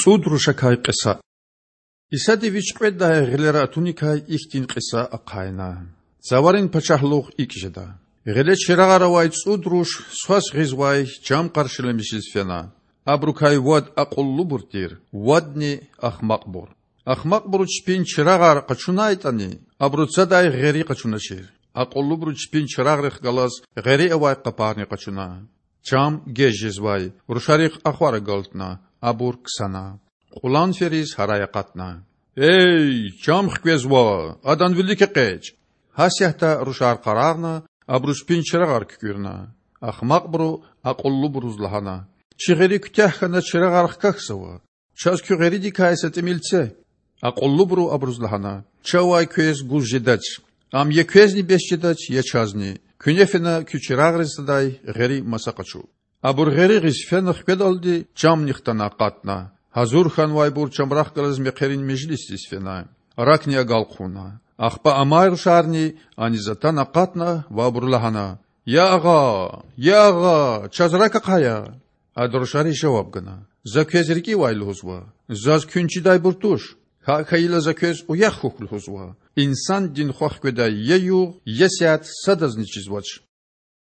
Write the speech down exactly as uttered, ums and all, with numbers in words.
ЦІуд рушакай кьиса. Исади Вич кьведдай гъилера атуникай ихьтин кьиса ахъайна: Цаварин пачагьлугъ икІ жеда: гъиле чирагъар авай цІуд руш Свас гъизвай чам къаршиламишиз фена. Абурукай вад акьуллубур тир, вадни— ахмакьбур. Ахмакьбуру чпин чирагъар къачунайтІани, абуру цадай гъери къачуначир. Акьуллубуру чпин чирагърихъ галаз гъери авай къапарни къачуна. Чам геж жезвай, рушарихъ ахвар агалтна, абур ксана. Кьулан фериз гьарай акъатна: Эй, чам хквезва! Адан вилик экъечІ! Гьасятда рушар къарагъна, абуру чпин чирагъар куькІуьрна. Ахмакьбуру акьуллубуруз лагьана: Чи гъери куьтягь хьана, чирагъар хкахьзава. Чаз куь гъеридикай са тІимил це. Акьуллубуру абуруз лагьана: Чавай квез гуз жедач. Ам я квезни бес жедач, я чазни. Куьне фена куь чирагърин садай гъери маса къачу. Абур гъери гъиз фена хкведалди, чамни хтана акъатна. Гьазур хьанвайбур чамрахъ галаз мехъерин межлисдиз фена. Ракни агалкъуна. Ахпа амай рушарни аниз атана акъатна ва абуру лагьана: Я агъа! Я агъа! Чаз рак ахъая! Ада рушариз жаваб гана: За квез рикІивай лугьузва. Заз куьн чидайбур туш. ГьакІ хьайила, за квез уях хьухь лугьузва. Инсандин Хва хкведай я югъ, я сят садазни чизвач.